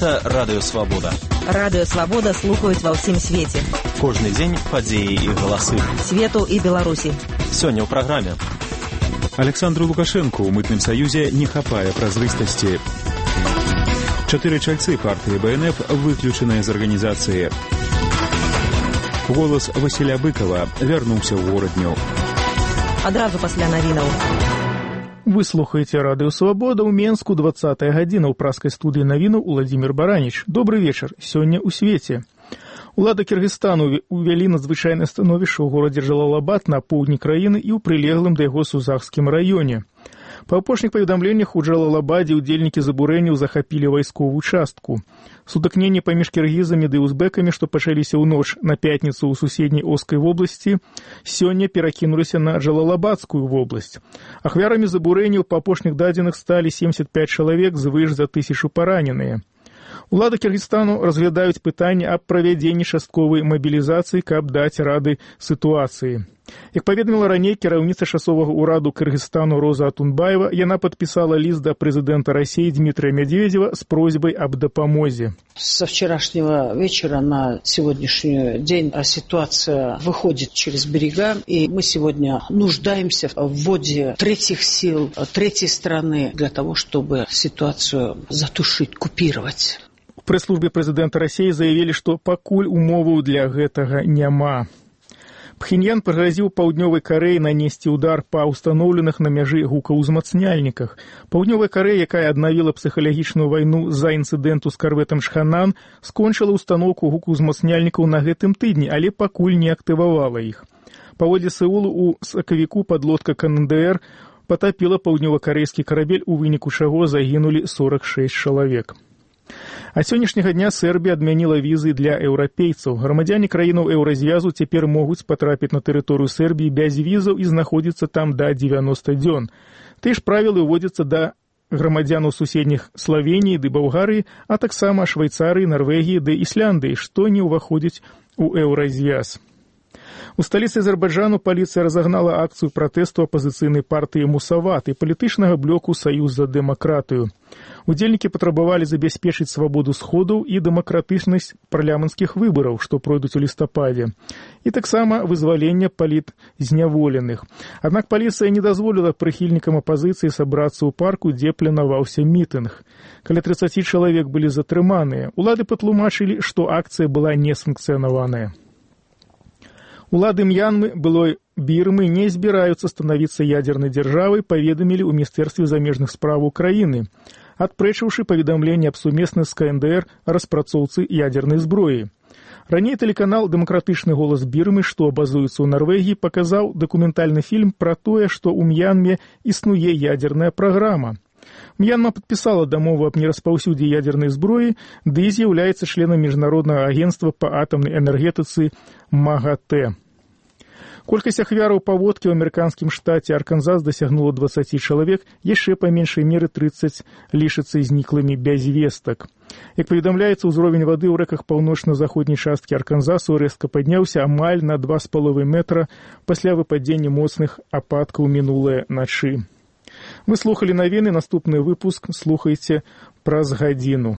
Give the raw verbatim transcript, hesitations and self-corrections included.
Гэта Радыё Свабода. Радыё Свабода слухаюць ва ўсім свеце. Кожны дзень падзеі і галасы. Свету і Беларусі. Сёння ў праграме. Александру Лукашенку ў мытным саюзе не хапае празрыстасці. Чатыры чальцы партыі Бэ Эн Эф выключаныя з арганізацыі. Голас Васіля Быкова вярнуўся ў горадню. Адразу пасля навінаў. Вы слухаеце Радыё Свабода ў Менску, двадцатая гадзіна, ў праскай студыі навінаў Уладзімір Бараніч. Добры вечар. Сёння ў свеце. Улады Кыргызстану увялі надзвычайнае становішча ў горадзе Джалалабад на поўдні краіны і ў прылеглым да яго Сузахскім раёне. Па апошніх паведамленнях у Джалалабадзе ўдзельнікі забурэнняў захапілі вайсковую частку. Сутыкненні паміж кіргізамі ды узбекамі, што пачаліся ў ноч на пятніцу ў суседняй Оскай вобласці, сёння перакінуліся на Джалалабадскую вобласць. Ахвярамі забурэнняў па апошніх дадзеных сталі семьдесят пять чалавек, звыш за тысячу параненыя. Улады Кыргызстану разглядаюць пытанне аб правядзенні частковай мабілізацыі, каб даць рады сітуацыі. Як паведаміла раней кіраўніца часовага ўраду Кыргызстану Роза Атунбаева, яна падпісала ліст да прэзідэнта России Дмитрия Медведева с просьбой об допомозе. Со вчерашнего вечера на сегодняшний день ситуация выходит через берега, и мы сегодня нуждаемся в вводе третьих сил, третьей страны для того, чтобы ситуацию затушить, купировать. У прэс-службе прэзідэнта России заявілі, што пакуль умоваў для гэтага няма. Пхеньян прыгрозіў Паўднёвай Карэі нанесці удар па ўстаноўленых на мяжы гукаўзмацняльніках. Паўднёвая Карэя, якая аднавіла псіхалагічную вайну з-за інцыдэнту з карвэтам Шханан, скончыла ўстаноўку гукаўзмацняльнікаў на гэтым тыдні, але пакуль не актывавала іх. Паводле Сеулу у сакавіку падлодка Ка Эн Дэ Эр патапіла паўднёвакарэйскі карабель, у выніку чаго загінулі сорок шесть чалавек. А сённяшняга дня Сербія адмяніла візы для еўрапейцаў. Грамадзяне краінаў еўразвязу цяпер могуць патрапіць на тэрыторыю Сербіі без візаў і знаходзіцца там да дзевяноста дзён. Тыя ж правілы ўводзяцца да грамадзянаў суседніх Славеніі ды Балгарыі, а таксама Швейцарыі, Нарвегіі ды Ісляндыі, што не ўваходзіць у еўразвяз. У сталіцы Азербайджану паліцыя разагнала акцыю пратэсту апазіцыйнай партыі Мусават і палітычнага блоку Саюз за дэмакратыю. Удзельнікі патрабавалі забяспечыць свабоду сходаў і дэмакратычнасць парламенцкіх выбараў, што пройдуць у лістападзе, і таксама вызвалення палітзняволеных. Аднак паліцыя не дазволіла прыхільнікам апазіцыі сабрацца ў парку, дзе планаваўся мітынг. Каля тридцать чалавек былі затрыманыя. Улады патлумачылі, што акцыя была несанкцыянаваная. Улады М'янмы, былой Бірмы, не збіраюцца станавіцца ядзернай дзяржавай, паведамілі ў Міністэрстве замежных спраў Украіны, адпрэчыўшы паведамленне аб сумесных з Ка Эн Дэ Эр распрацоўцы ядзернай зброі. Раней тэлеканал «Дэмакратычны голас Бірмы», што базуецца ў Нарвегіі, паказаў дакументальны фільм пра тое, што ў М'янме існуе ядзерная праграма. М'янма падпісала дамову аб нераспаўсюдзе ядзернай зброі, ды з'яўляецца членам міжнароднага агенцтва па атамнай энергетыцы МАГАТЭ. Колькасць ахвяраў паводкі ў амерыканскім штаце Арканзас дасягнула двадцать чалавек, яшчэ па меншай меры тридцать лічацца зніклымі без вестак. Як паведамляецца, узровень вады ў рэках паўночна-заходняй часткі Арканзасу рэзка падняўся амаль на два з паловай метра пасля выпадзення моцных ападкаў мінулыя начы. Вы слухалі навіны, наступны выпуск слухайце праз гадзіну.